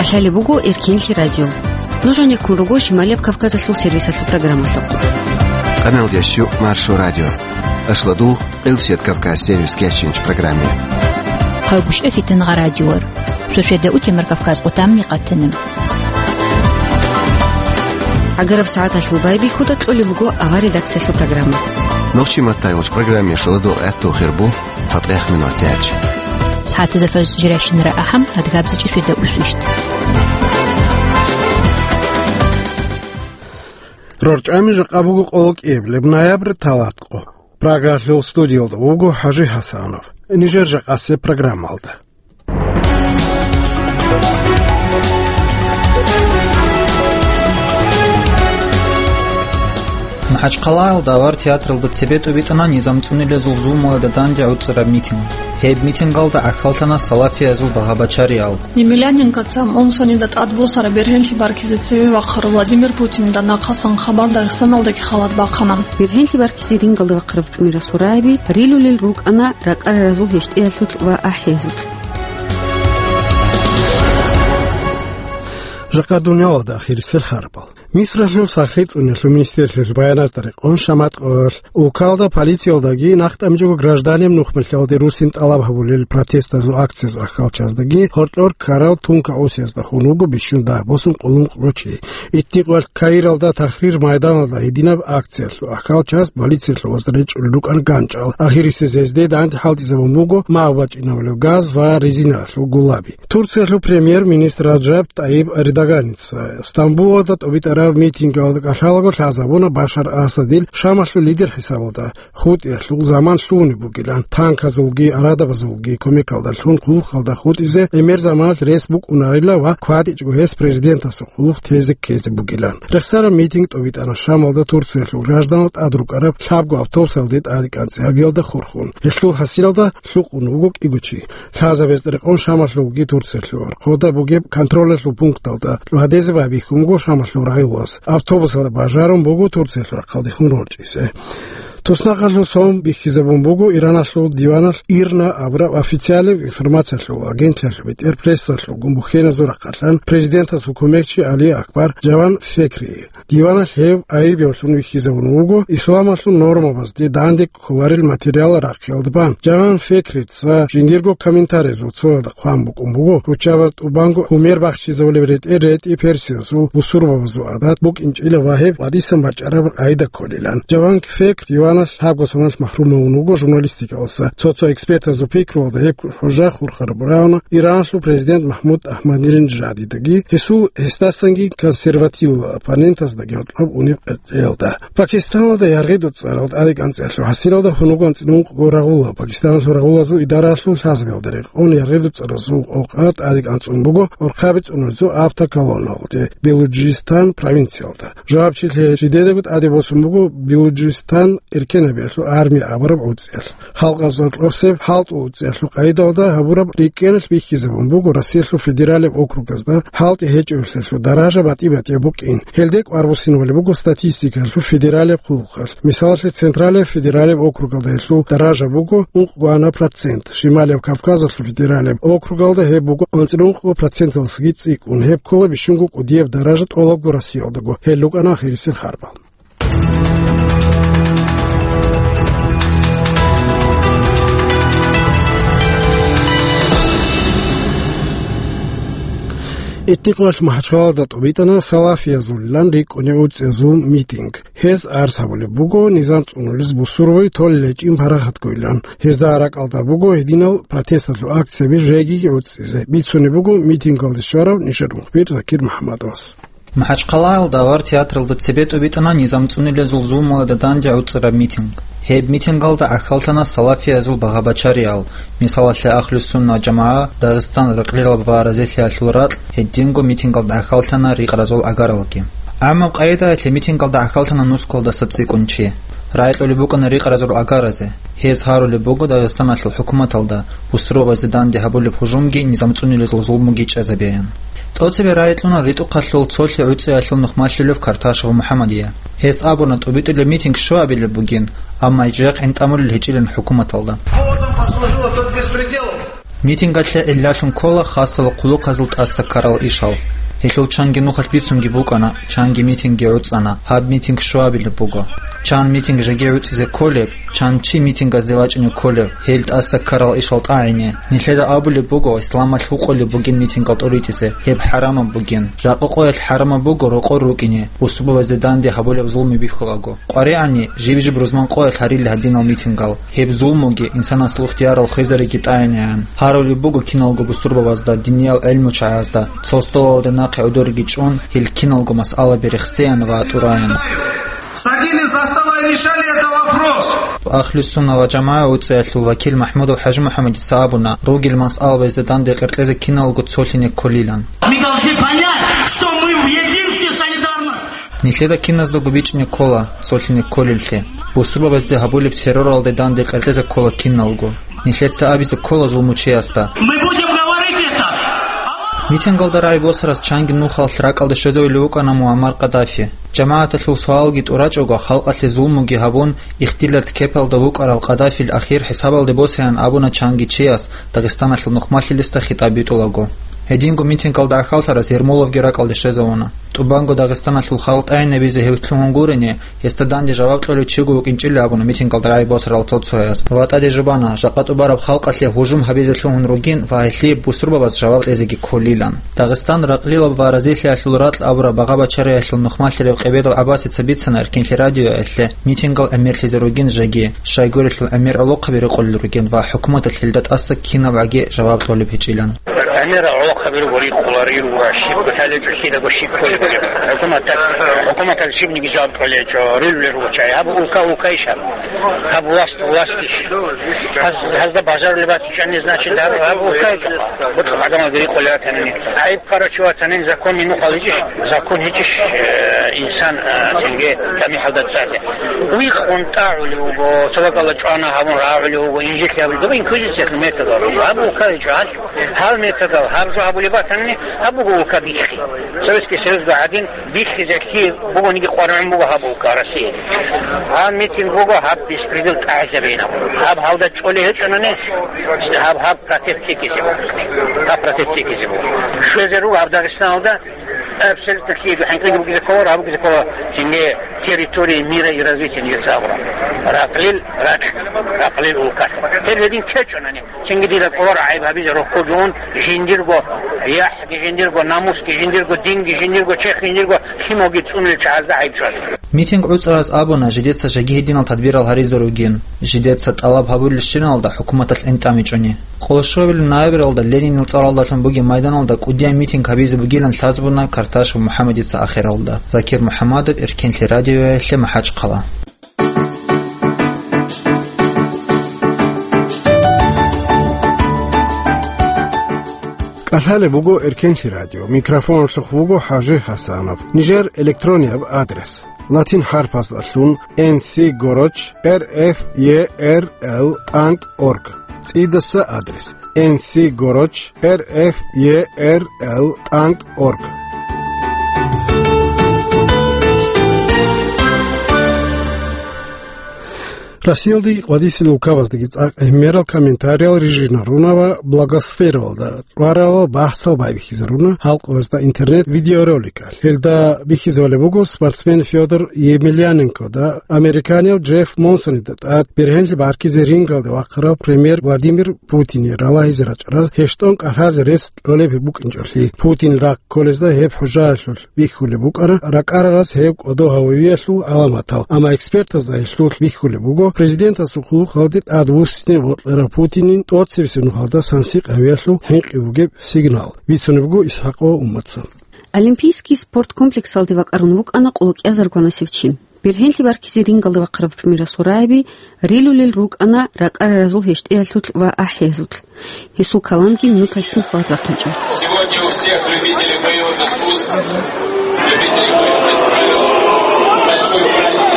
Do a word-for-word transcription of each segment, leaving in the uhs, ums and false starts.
Лъалеб буго Эркенлъи радио. Нуж гьанеккун руго Шималияб Кавказалъул сервисалъул программалъухъ. Къаналдияс щу Маршо радио. Ашладу Къилсият Кавказ сервис кечинч программе. Хъайгушев Фитангъа радиор. Шошеда утемар Кавказ къутамни къатана. Агараб сагӀаталъул байбихьуда кьолеб буго авар редакциялъул программа. Нохчи маттай вач программе шаладу гӀатту хирбу. ЦатӀех минутач. СагӀатазда фажр жирайщинара ахӀам, адгабзичӀи шведа усвищт. РорчӀами жакъа буго къоло кӀиабилеб ноябрь талаткъо. Прагалъул студиялда вуго ХӀажи ХӀасанов. Нижер жакъасеб программалда. МахӀачхъалаялда авар театралда цебе тӀубитӀана низам цӀунилезул зулмалда данде гӀуцӀараб митинг. Гьеб митингалда гӀахьаллъана салафиязул багьа-бачариял. Емельяненкоца Монсонида тӀадбосараб бергьенлъи баркизе цеве вахъарав Владимир Путинда нахъасан хабар Дагъистаналдаги халат бахъана. Бергьенлъи баркизе рингалда вахъарав тӀамирасул рагӀаби рилулел рукӀана ракӀараразул гьещтӀиялъулъ ва ахӀиязулъ. Жакъа дуниялалда ахирисел харбал. Мисралъул сахлъи цӀунелъул министрлъиялъул баяназда рекъон шаматкъоялъ, улкалда полициялдаги нахъ тӀамичӀого гражданин нухмалъалде русин тӀалаб гьабулел протестазул акциязул ахьалчаздаги гьоркьор ккарал тунка осиязда хун вуго бищун дагь босун къулун кьурав чи. Итникъоялъ Каиралда Тахрир майданалда гьединаб акциялъул ахьалчас полициялъувазда речӀчӀулел рукӀана ганчӀал. Ахирисез гьезде данде хӀалтӀизабун буго магӀу бачӀинабулев газ ва резиналъул гулаби. Турциялъул премьер-министр Раджаб ТӀайиб Эрдоганица Стамбулалда тӀубитӀараб митингалда кӀалъалаго лъазабуна Башар Асадил Шамалъул лидер хӀисабалда хутӀиялъул заман лъугьунеб бугилан, танказулги арадабазулги кумекалдалъун хъулухъалда хутӀизе гӀемер заманалъ рес букӀунарила ва кватӀичӀго гьес президентасул хъулухъ тезе ккезе бугилан. Рехсараб митинг тӀубитӀана Шамалда Турциялъул гражданал тӀад рукӀараб лъабго автобусалде тӀадекӀанцӀи гьабиялда хурхун. Гьелъул хӀасилалда лъукъун вуго кӀиго чи. Лъазабез рекъон Шамалъулги Турциялъул гьоркьода бугеб контролалъул пункталда гьадизе байбихьун буго Шамалъул рагӀулас. Автобусалда бажарун буго Турциялъул рахъалдехун рорчӀизе. Туснахъалъул сон бихьизабун буго Ираналъул диваналъ ИРНА абураб официалаб информациялъул агентлъиялъул бетӀер прессалъулгун бухьеназул рахъалъан президентасул кумекчи Али Акбар Жаван Фекри. Диваналъ гьев айиб гьавлъун вихьизабун вуго исламалъул нормабазде данде кколарел материал рахъиялда бан. Жаван Фекрица жиндирго комментариязул цоялда хъван букӀун буго, руччабаз тӀубанго гьумер бахчизабулеб ретӀел ретӀи персиязул бусурбабазул гӀадат букӀинчӀила ва гьеб гьадисан бачӀараб гӀайда кколилан. Жаван Фекри диваналъ лъабго соналъ махрумавун вуго журналистикаласа. Цо-цо экспертазул пикруялда гьеб хӀужа хурхараб рагӀуна Иранлъул президент Махмуд Ахмадинежадидаги, гьесул гьесдасанги консервативла оппонентаздаги гьоркьоб унеб къеркьеялда. Пакистаналда яргъи дуцӀарал тӀадекӀанцӀиялъул хӀасилалда хьунуго анцӀила ункъго рагъула. Пакистаналъул рагъулазул идараялъул лъазабиялда рекъон яргъи дуцӀаразул къокъа тӀадекӀанцӀун буго орхъаби цӀунулезул автоколонналде Белуджистан провинциялда. Жавабчилъи жидедаго тӀаде босун буго Белуджистан эркенабиялъул армия абураб гӀуцӀиялъ. Халкъазул кьосеб хӀалтӀул уцӀиялъул къайдалда гьабураб рикӀкӀеналъ бихьизабун буго Россиялъул федералияб округазда хӀалтӀи гьечӀевлъиялъул даража батӀи-батӀияб букӀин. Гьелде кӀвар буссинабулеб буго статистикаялъул федералияб хъулухъалъ. Мисалалъе, Централияб федералияб округалда гьелъул даража буго ункъго ана процент, Шималияб Кавказалъул федералияб округалда гьеб буго анцӀила ункъго проценталдасаги цӀикӀкӀун, гьеб ккола бищунго кӀудияб даража тӀолабго Россиялдаго, гьел рукӀана ахирисел харбал. Итникъоялъ МахӀачхъалаялда тӀубитӀана салафиязулилан рикӀкӀунеб уцӀиязул митинг. Гьез арс гьабулеб буго низам цӀунулез бусурбаби толел гьечӀин парахатгойилан. Гьезда ракӀалда буго гьединал протесталъул акцияби жегиги гӀуцӀизе. Бицунеб буго митингалде щварав нижер мухбир Закир МухӀаммадовас. МахӀачхъалаялда авар театралда цебе тӀубитӀана низам цӀунилезул зулмалда данде гӀуцӀараб митинг. Гьеб митингалда гӀахьаллъана салафиязул багьа-бачариял, мисалалъе, Ахлу-Сунна ва ЖамагӀа, Дагъистан рекъелаб ва разилъиялъул ракь, гьединго митингалда гӀахьаллъана рикъразул гӀагаралги. ГӀаммаб къайдаялъе митингалда гӀахьаллъана нускалдаса цӀикӀкӀун чи. РагӀи кьолеб букӀана рикъразул гӀагаразе. Гьез гьарулеб буго Дагъистаналъул хӀукуматалда бусурбабазе данде гьабулеб гьужумги низам цӀунилезул зулмуги чӀезабеян. ТӀоцебе рагӀи кьуна РитӀухъалъул цолъи гӀуцӀиялъул нухмалъулев Карташев МухӀамадие. Гьес абуна, тӀубитӀулеб митинг щуабилеб бугин, амма жакъин тӀамулел гьечӀилан хӀукуматалда. Поводом послужило тот беспредел. Митингалъе гӀиллалъун ккола хасал хъулухъазул тӀаса ккарал ишал. Гьелъул чанги нухалъ бицунги букӀана, чанги митингги гӀуцӀана. Гьаб митинг щуабилеб буго. Чан митинг жеги гӀуцӀизе кколеб, чан чи митингазде вачӀине кколев, гьел тӀаса ккарал ишал тӀагӀине. Нилъеда абулеб буго, исламалъ гьукъулеб бугин митингал тӀуритӀизе, гьеб хӀарамаб бугин. Жакъа къоялъ хӀарамаб буго рокъор рукӀине, бусурбабазе данде гьабулеб зулму бихьулаго. КъваригӀани, жиб-жиб рузман къоялъ гьарилли гьадинал митингал. Гьеб зулмуги, инсанасул ихтиярал хвезариги тӀагӀинегӀан. Гьарулеб буго киналго бусурбабазда, диниял гӀелмучагӀазда, цо столалде нахъе гӀодорги чӀун, гьел киналго масъалаби рехсеян ва тӀураян. Садились за стола и решали этот вопрос. Ахлу-сунна ва жамагӀа уцаялъул вакил МахӀмудов ХӀажимухӀаммадица абуна, ругел масъалабазда данде къеркьезе киналго цолъине кколилан. Мы должны понять, что мы в единстве, солидарность. Нилъеда киназдаго бичӀчӀине ккола цолъине кколеллъи. Бусурбабазде гьабулеб терроралде данде къеркьезе ккола киналго. Нилъеца абизе ккола зулмучиясда. Мы будем говорить это. Митингалда рагӀи босарас чанги нухалъ ракӀалде щвезавулев вукӀана Муаммар Каддафи. ЖамагӀаталъул суалги тӀурачӀого, халкъалъе зулмуги гьабун, ихтилат кепалда вукӀарав Каддафил ахир хӀисабалде босеян абуна чанги чияс, Дагъистаналъул нухмалъилисда хитӀаб битӀулаго. Гьединго митингалда гӀахьаллъарас Ермоловги ракӀалде щвезавуна. ТӀубанго Дагъистаналъул халкъ тӀагӀинабизе гьев лъугьун гурине, гьесда данде жаваб кьолев чиго вукӀинчӀила абуна митингалда рагӀи босарал цо-цояс. ВатӀа дежубана, жакъа тӀубараб халкъалъе гьужум гьабизе лъугьун ругин ва гьелъие бусурбабаз жаваб кьезеги кколилан. Дагъистан ракълилаб ва разилъиялъул ракь абураб багъа-бачариялъул нухмалъарав Къебедов ГӀаббасица бицана Эркенлъи радиоялъе митингал гӀемерлъизе ругин жеги, щайгурелъул гӀемер гӀолохъаби рекъолел ругин ва хӀукуматалъ гьелда тӀаса кинабгӀаги жаваб кьолеб гьечӀилан. ГӀемер гӀолохъаби руго рикъуларел ва щиб гьалечӀо кидаго щиб кколеб бугеб. ХӀукуматалъ, хӀукуматалъ щибниги жаваб кьолечӀо, рилулел руго чагӀи. Гьаб улка улкайищ гьаб? Гьаб власть властищ? Гьаз-, гьазда бажарулеб батичӀани, значит, гьаб, гьаб улкайищ? БутӀа гӀадамал рикъулел ратанани. ГӀайиб ккарав чи ватанин, законни нухал гьечӀищ, закон гьечӀищ, э, инсан, э, цинги тамихӀалда цӀале. Вихъун тӀагӀулев вуго, цо бакӀалда чӀвана гьабун рагӀулев вуго, инжит гьабулев, дова инквизициялъул методал. Гьаб улка гьечӀо, гьал, гьал методал, гьаб жо гьабулеб батанани, гьаб буго улка биххи. Советский Союзда гӀадин биххизехъи бугониги къваригӀун буго гьаб улка Россия. Гьаб митинг буго, гьаб беспредел тӀагӀизабейин. Гьаб гьалда чӀолей гьечӀонани, гьаб, гьаб протест цӀикӀкӀизе буго. Гьаб протест цӀикӀкӀизе буго. Щвезе руго гьаб Дагъистаналда абсолютно киего хӀинкъиги бугизе ккола, гьаб бугизе ккола, цинги территории мира и развития нигерца абураб. Ракълил ракь, ракълил улкалъ. Гьеб гьедин ккечӀонани, цинги дида кӀоларо гӀайиб гьабизе рохьулъун, жиндирго яхӀги, жиндирго намусги, жиндирго динги, жиндирго чехь, жиндирго лъималги цӀунулел чагӀазда гӀайиб чӀвазе. Митинг гӀуцӀараз абуна, жидеца жеги гьединал тадбирал гьаризе ругин, жидеца тӀалаб гьабулелщиналда хӀукуматалъ гӀинтӀамичӀони. Къолошуабилеб ноябралда Ленинил цӀаралдалъун бугеб майданалда кӀудияй митинг гьабизе бугилан лъазабуна Карташев МухӀаммадица ахиралда. Закир МухӀаммадов, Эркенлъи радиоялъе, МахӀачхъала. КӀалъалеб буго Эркенлъи радио. Микрофоналъухъ вуго ХӀажи ХӀасанов. Нижер электронияб адрес: латин хӀарпаздалъун N C горочь R F E R L тӀанкӀ org. ЦӀидаса адрес: N C горочь R F E R L тӀанкӀ org. Россиялдаги къвадисел улкабаздаги цӀакъ гӀемерал комментариял рижинаруна ва блогосфераялда тӀварал бахӀсал байбихьизаруна халкъалда интернет-видеороликалъ. Гьелда бихьизабулеб буго спортсмен Фёдор Емельяненкода, американияв Джефф Монсонида тӀад бергьенлъи баркизе рингалде вахъарав премьер Владимир Путине ралагьизе рачӀараз гьечӀого кӀалъазе рес кьолеб букӀинчӀолъи. Путин рахъ кколезда гьеб хӀужаялъулъ бихьулеб букӀана, ракӀарарас гьеб кӀодо гьавиялъул гӀаламатал, амма экспертазда гьелъулъ бихьулеб буго президентасул хъулухъалде тӀадвуссине бокьарав Путинил тӀоцебесеб нухалда сансикь гьавиялъул хӀинкъи бугеб сигнал, бицунеб буго Исхакъова Умматица. Олимпийский спорт комплексалде вакӀарун вукӀана къоло кӀиазарго ванасев чи. Бергьенлъи баркизе рингалде вахъарав премьерасул рагӀаби рилулел рукӀана ракӀараразул гьечӀеялъулъ ва ахӀиязулъ. Гьесул каламги минуталъ цин хьвад бахъинчӀо. Сегодня у всех любителей боевых искусств, любителей боевых искусств большой праздник.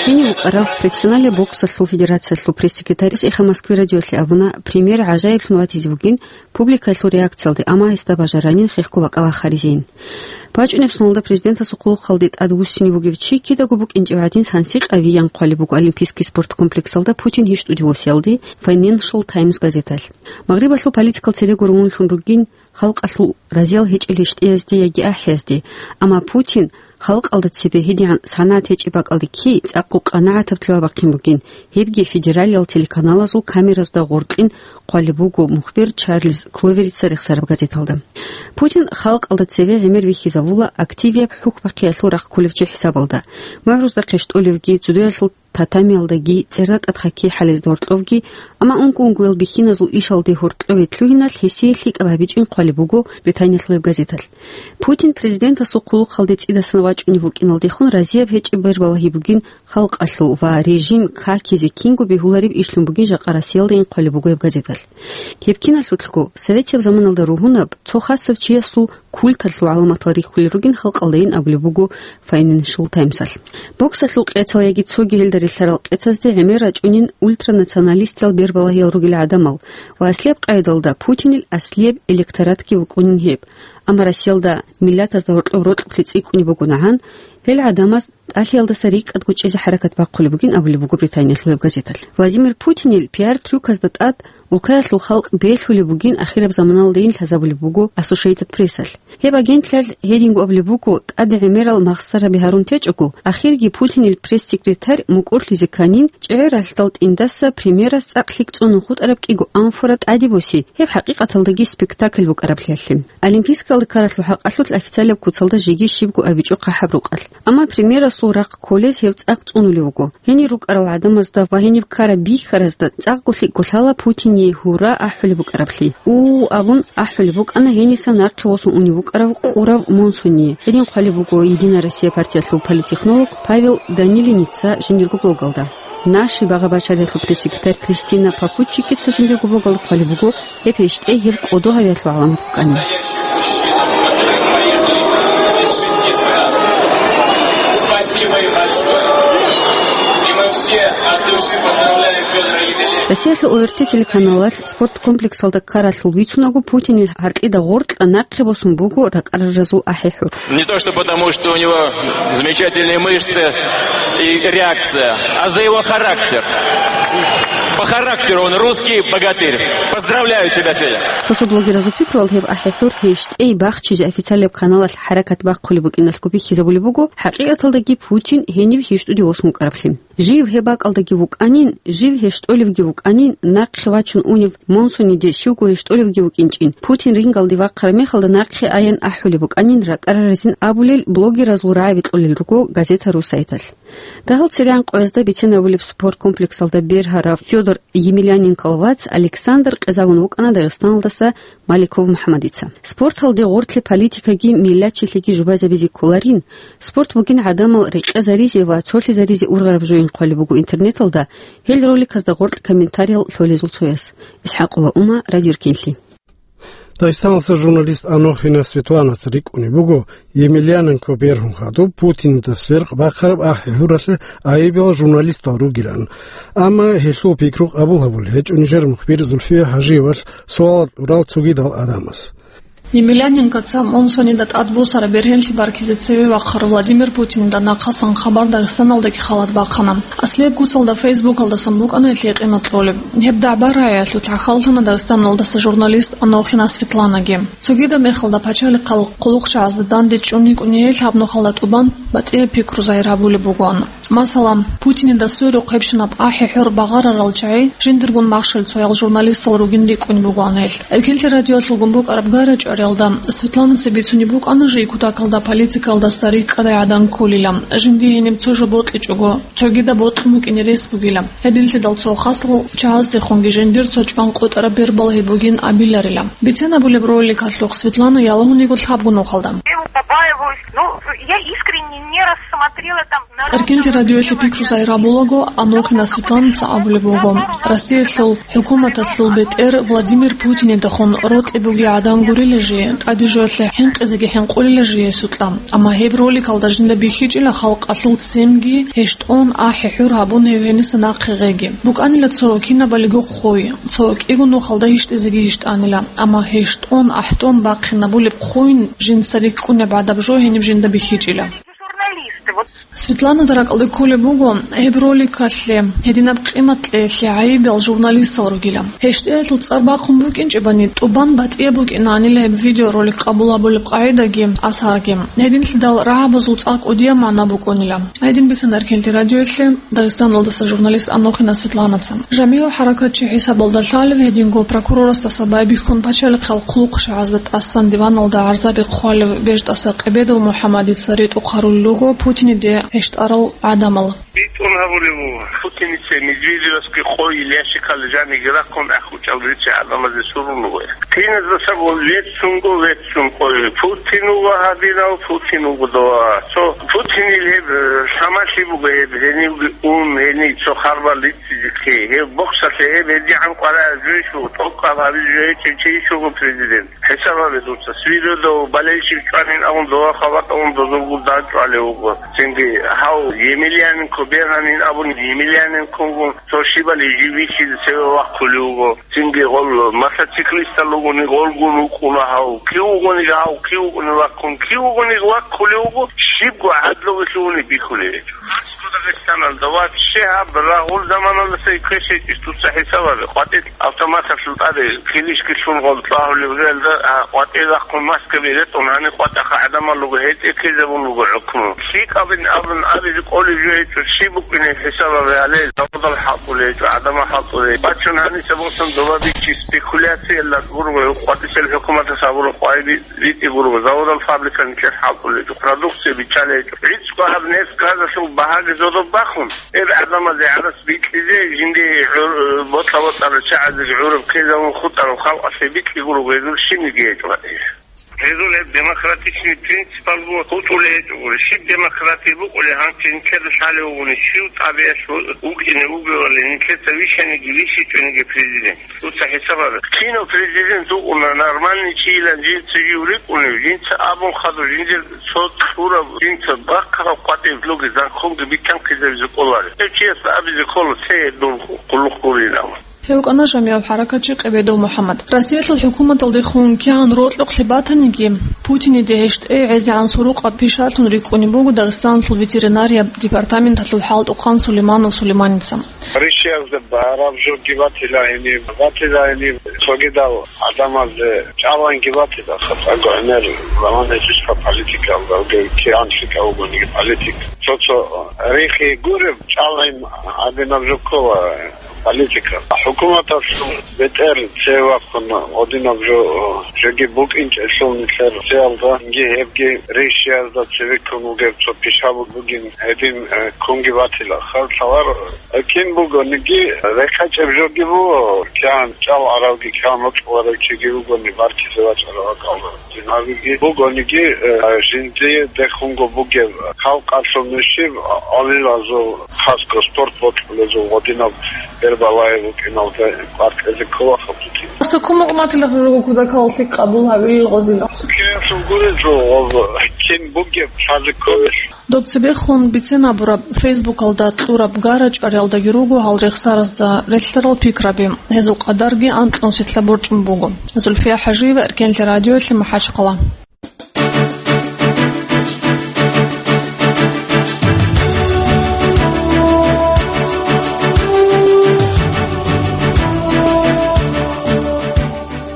И Гьенив вукӀарав профессиональный боксалъул федерациялъул пресс-секретарьас «Эхо Москвы» радиолъе абуна, премьер гӀажаиблъун ватизе бугин публикаялъул реакциялде, амма гьесда бажаранин хехго бакӀа вахаризейин. БачӀунеб соналда президентасул хъулухъалде тӀадвуссине вугев чи кидаго букӀинчӀев гӀадин сансикъавиян хъвалеб буго Олимпийский спорт комплексалда Путин гьищтӀуде восиялде Financial Times газеталъ. Магърибалъул политикал цере гуромунлъун ругин халкъалъул разиял гьечӀел гьищтӀиязде яги ахӀиязде, амма Путин халкъалда цебе гьедигӀан санагӀат гьечӀеб бакӀалде кки цӀакъго къанагӀатаблъи вабахъин бугин, гьебги федералиял телеканалазул камеразда гъоркьин хъвалеб буго мухбер Чарльз Кловерица рехсараб газеталда. Путин халкъалда цеве гӀемер вихьизавула активияб хӀухьбахъиялъул рахъ кколев чи хӀисабалда, мугӀрузда хъештӀолевги, цудуялъул татамиялдаги, цӀерда тӀад хоккей хӀалезда гьоркьовги, амма унго-унгоял бихьиназул ишалде гьоркьове лъугьиналъ гьесие лъикӀаб гьабичӀин хъвалеб буго Британиялъул гьеб газеталъ. Путин президентасул хъулухъалде цӀидасан вачӀунев вукӀиналдехун разияб гьечӀеб бербалагьи бугин халкъалъул ва режим какизе кинго бегьулареб ишлъун бугин жакъа Россиялдайин хъвалеб буго гьеб газеталъ. Гьеб киналъулъго, советияб заманалда ругьунаб цо хасаб чиясул культалъул гӀаламатал рихьулел ругин халкъалдайин абулеб буго Financial Times-алъ. Боксалъул къецал яги цоги гьелда релълъарал къецазде гӀемер рачӀунин ультранационалистиял бербалагьиял ругел гӀадамал ва аслияб къайдалда Путинил аслияб электоратги вукӀунин гьеб. Амма Россиялда миллатазда гьоркьоб рокьулъи цӀикӀкӀунеб бугонагӀан, гьел гӀадамаз тӀалъиялдаса рикӀкӀад гучӀизе хӀаракат бахъулеб бугин абулеб буго Британиялъул гьеб газеталъ. Владимир Путинил пиар-трюказда тӀад улкаялъул халкъ белъулеб бугин ахираб заманалдайин лъазабулеб буго Associated Press-алъ. Гьеб агентлъиялъ гьединго абулеб буго, тӀаде гӀемерал махсараби гьарун течӀого, ахирги Путинил пресс-секретарь мукӀурлъизе кканин, чӀегӀер ралъдал тӀиндаса премьерас цӀакъ лъикӀ цӀунун хутӀараб кӀиго амфора тӀаде боси, гьеб хӀакъикъаталдаги спектакль букӀараблъиялъе. Олимпийскалда ккаралъул хӀакъалъулъ официалаб куцалда жеги щибго абичӀо хъахӀаб рукъалъ. Амма премьерасул рахъ кколез гьев цӀакъ цӀунулев вуго. Гьенир рукӀарал гӀадамазда ва гьениб ккараб бихьаразда цӀакъго лъикӀго лъала Путине «гьура» ахӀулеб букӀараблъи. «У» абун ахӀулеб букӀана гьениса нахъе восун унев вукӀарав Къурав Монсони. Гьедин хъвалеб буго «Единая Россия» партиялъул политтехнолог Павел Данилиница жиндирго блогалда. «Наши» багъа-бачаралъул пресс-секретарь Кристина Папуччикица жиндирго блогалда хъвалеб буго, гьеб гьищтӀей гьеб кӀодо гьавиялъул гӀаламат букӀанин. Спасибо им большое. И мы все от души поздравляем Фёдора Емельянова. Россиялъул О Р Т телеканалалъ спорт комплексалда ккаралъул бицунаго, Путинил гьаркьида гъоркьа нахъе босун буго ракӀараразул ахӀи-хӀур. Не то что потому, что у него замечательные мышцы и реакция, а за его характер. По характеру он русский богатырь. Поздравляю тебя, Федя! Цо-цо блогеразул пикруялъ, гьеб ахӀи-хӀур гьищтӀей бахчизе официалияб каналалъ хӀаракат бахъулеб букӀиналъго бихьизабулеб буго, хӀакъикъаталдаги Путин гьенив гьищтӀуде восун вукӀараблъи. Жив гьеб бакӀалдаги вукӀанин, жив гьищтӀолевги вукӀанин, нахъе вачун унев Монсониде щивго гьищтӀолевги вукӀинчӀин, Путин рингалде вахъараб мехалда нахъе аян ахӀулеб букӀанин ракӀараразин абулел блогеразул рагӀаби кьолел руго газетарул сайталъ. Дагьал церегӀан къоязда бицен абулеб спорт комплексалда бергьарав Фёдор Емельяненкол вац Александр къезабун вукӀана Дагъистаналдаса Маликов МухӀамадица. Спорталде гъорлъе политикаги миллатчилъиги жубазабизе кколарин, спорт бугин гӀадамал рекъезаризе ва цолъизаризе ургъараб жоин хъвалеб буго интернеталда гьел роликазда гъоркь комментариял лъолезул цояс. ИсхӀакъова Ума, Радио Ркинлъи. Дагъистаналъа журналист Анохина Светланаца рикӀкӀунеб буго, Емельяненко бергьун хадуб Путинида сверкъ бахъараб ахӀи-хӀуралъе айибал журналистал ругилан. Амма гьелъул пикру къабул гьабулеб гьечӀо нижер мухбир Зульфия ХӀажиевалъ суал тӀурал цогидал гӀадамаз. Емельяненкоца Монсонида тӀадбосараб бергьенлъи баркизе цеве вахъарав Владимир Путинида нахъасан хабар Дагъистаналдаги халат бахъана. Аслияб куцалда Фейсбукалдасан букӀана гьелъие къимат кьолеб. Гьеб дагӀба-рагӀиялъулъ гӀахьаллъана Дагъистаналдаса журналист Анохина Светланаги. Цогидаб мехалда пачалихъал хъулухъчагӀазда данде чӀун йикӀуней гьаб нухалда тӀубан батӀияб пикру загьир гьабулеб бугоан. Масала, Путинида сверухъ гьебщинаб ахӀи-хӀур багъарарал чагӀи жиндиргун махщел цоял журналистал ругин рикӀкӀунеб бугоан гьел. Эркинлъи радиоялъулгун букӀараб гара-чӀвариялда Светланаца бицунеб букӀана жий кутакалда политикалдаса рикӀкӀадай гӀадан кколила, жиндие гьениб цо жо бокьичӀого, цогидаб бокьун букӀине рес бугила. Гьединлъидал цо хасал чагӀаздехунги жиндир цо чӀван къотӀараб бербалагьи бугин абиларила. Бицен абулеб роликалъухъ Светлана ялагьуниго лъабго нухалда. Я побаиваюсь, ну, я искренне не рассмотрела там. Эркенлъи радиоялъе пикру загьир гьабулаго, Анохина Светланаца абулеб буго, Россиялъул хӀукуматалъул бетӀер Владимир Путинидехун рокьи бугей гӀадан гурила жие, тӀаде жоялъе хӀинкъизеги хӀинкъулила жие сукьа. Амма гьеб роликалда жинда бихьичӀила халкъалъул семги, гьещтӀон ахӀи-хӀур гьабун гьев гьениса нахъе гъеги. БукӀанила цо кинабалиго хъуй, цо кӀиго нухалда гьищтӀизеги гьищтӀанила, амма гьещтӀон ахӀтӀон бахъинабулеб хъуй жинца рикӀкӀунеб гӀадаб жо гьениб жинда бихьичӀила. Светланада ракӀалде кколеб буго, гьеб роликалъе гьединаб къимат кьеялъе гӀайибал журналистал ругила. ГьещтӀиялъул цӀар бахъун букӀинчӀебани, тӀубан батӀияб букӀинанила гьеб видеоролик къабул гьабулеб къагӀидаги асарги. Гьединлъидал рагӀабазул цӀакъ кӀудияб магӀна букӀунила. Гьедин бицана Эркенлъи радиоялъе Дагъистаналдаса журналист Анохина Светланаца. ЖамигӀав хӀаракатчи хӀисабалда лъалев, гьединго прокурорасдаса байбихьун пачалихъал хъулухъ шагьазда тӀасан диваналда гӀарзаби хъвалев БежтӀаса Къебедов МухӀаммадица ритӀухъ гьарулел руго Путиниде гьещтӀарал гӀадамал. БитӀун гьабулеб буго, Путиница Медведевасги къойил ящикалда жаниги рахъун ахӀучӀал рицей гӀадамазе сурун руго. Киназдасаго веццунго, веццун къойи. Путин вуго гьадинав, Путин вуго дова. Цо Путинил гьеб, э, самалъи буго гьеб, гьенивги ун, гьенив цо харбал риццизе кке. Гьеб боксалъе гьеб гьедигӀан къваригӀел жойищ вуго, тӀокӀаб гьабизе жо гьечӀев чи ищ вуго президент. ХӀисаб гьабе дуца. Свиридов, Болельщик чӀванин абун дова хабатӀ абун дозулгун дагь чӀвалев вуго. Цинги гьав Емельяненко бегьанин абун Емельяненкогун цо щибали жив вихьизе цеве вахъулев вуго. Цинги гъол мотоциклистал ругони гъолгун вукӀуна гьав. Кив вугони гьав, кив вугони ваккун, кив вугони ваккулев вуго, щибго гӀадлуги лъугьуни бихьулев гьечӀо. Гьанже Дагъистаналда ва ще гьаб рагъул заманалдаса квеш гьечӀищ дуца хӀисаб гьабе. КъватӀир автоматалъул тӀаде килищги лъун гъол тӀагьулеб гӀелда, а, къватӀир рахъун маскаби ретӀун гьаниб къватӀаха гӀадамал руго, гьетӀе ккезабун руго хӀукму. ЛъикӀабин абун абизе кӀолеб жо гьечӀо, щиб букӀине хӀисаб гьабе гьале, заводал хӀалтӀулей гьечӀо, гӀадамал хӀалтӀулей. Бачун гьаниса босун доба бичи спекуляциялда гурого, къватӀисел хӀукуматас гьабураб къвайби ритӀи гурого, заводал фабрика нилъер хӀалтӀулей гьечӀо, продукция биччалей гьечӀо. ГӀицӀго гьаб нефть газалъул багьаги зодоб бахун, гьеб гӀадамазе гӀарас бикьизе, жинди гӀур-, бокьа-бокьарал чагӀазеги гӀураб ккезабун хутӀараб халкъалъе бикьи гурого, гьезул щибниги гьечӀо гьатӀире. Гьезул гьеб демократичный принципалго хутӀулей гьечӀо гури. Щиб демократия букӀулей гьанже нилъеда лъалев вугони, щив тӀабигӀалъ вукӀине вугевали, нилъеца вищаниги вищичӀониги президент? Дуца хӀисаб гьабе. Кинав президент вукӀуна, нормальный чийилан жинца жив рикӀкӀунев, жинца абун хадур, жиндир цо кьураб, жинца бахъараб къватӀиб лугезан хунги битӀанхъизабизе кӀоларев. Гьев чиясда абизе ккола, цее дун къуллукъ гурин абун. Гьев вукӀана жамигӀав хӀаракатчи Къебедов МухӀаммад. Россиялъул хӀукуматалдехун кигӀан рокьукълъи батаниги, Путиниде гьещтӀей гӀезегӀан сурукъаб пишалъун рикӀкӀунеб буго Дагъистаналъул ветеринарияб департаменталъул хӀалтӀухъан Сулейманов Сулейманица. Ришиязда бараб жоги батила гьениб, батила гьениб цогидал гӀадамазде чӀалгӀинги батила, хатӀа гӀемер заман гьечӀищха политикалда, кигӀан лъикӀав вугониги политик. Цо-цо рихи гуреб, чӀалгӀин гьабинаб жо ккола политика. ХӀукуматалъул бетӀер цеве вахъун гьадинаб жо, жоги букӀинчӀелъул нилъер цеялда, гьебги ришиязда цеве ккун вугеб цо пишаб бугин, гьедин, э, ккунги батила. Хал лъаларо. Кин бугониги, рехъечӀеб жоги буго, кигӀан чӀалгӀаравги, кигӀан рокьуларев чиги вугони, баркизе вачӀарав акӀалда динавиги бугониги, э, жиндие дехунго бугеб халкъалъул нушиб гӀалилазул, хасго спорт бокьулезул гъодинаб Бербалаев вукӀиналда къваркьезе ккола хабуги. Аста кумукъ матила руго кудакаллъи къабул гьавилил гъозила. КигӀанлъул гурезул гъоз кин бугеб лъазе кколелъ. Доб цебехун бицен абураб, Фейсбукалда кьураб гара-чӀвариялдаги руго гьал рехсаразда релълъарал пикраби, гьезул къадарги анкьнусилъа борчӀун буго. Зульфия ХӀажиева, Эркенлъи радиоялъе, МахӀачхъала.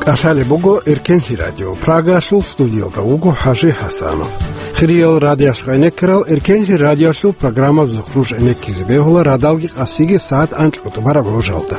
КӀалъалеб буго Эркенлъи радио. Прагалъул студиялда вуго ХӀажи ХӀасанов. Хириял радиоялъ гӀенеккарал, Эркенлъи радиоялъул программабазухъ нуж гӀенеккизе бегьула радалги къасиги сагӀат анкьго тӀубараб гӀужалда.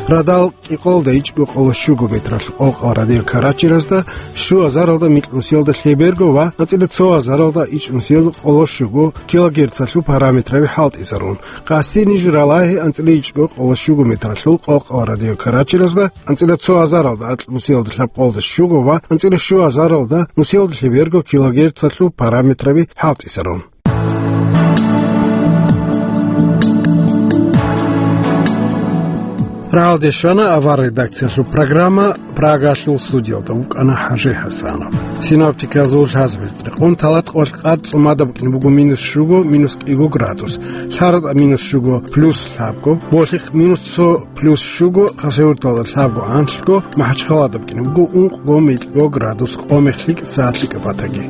Радал кӀикъоялда ичӀго къоло щуго метралъул къокъал радио Карачиразда, щуазаралда микьнусиялда лъеберго ва анцӀила цоазаралда ичӀнусиялда къоло щуго килогерцалъул параметраби хӀалтӀизарун. Къаси ниж ралагьи анцӀила ичӀго къоло щуго метралъул къокъал радио Карачиразда, анцӀила цоазаралда акьнусиялда лъабкъоялда щуго ва анцӀила щуазаралда нусиялда лъеберго килогерцалъул параметраби хӀалтӀизарун. Прагьалде щвана авар редакциялъул программа, Прагалъул студиялда вукӀана ХӀажи ХӀасанов. Синоптиказул лъазабиз рекъон, талат къоялъ къад цӀумада букӀине буго минус щуго, минус кӀиго градус, ЛъаратӀа минус щуго, плюс лъабго, Болъихъ минус цо, плюс щуго, Хасавюрталда лъабго, анлъго, МахӀачхъалада букӀине буго ункъго, микьго градус, къо-мех лъикӀ, сагӀат лъикӀаб батаги.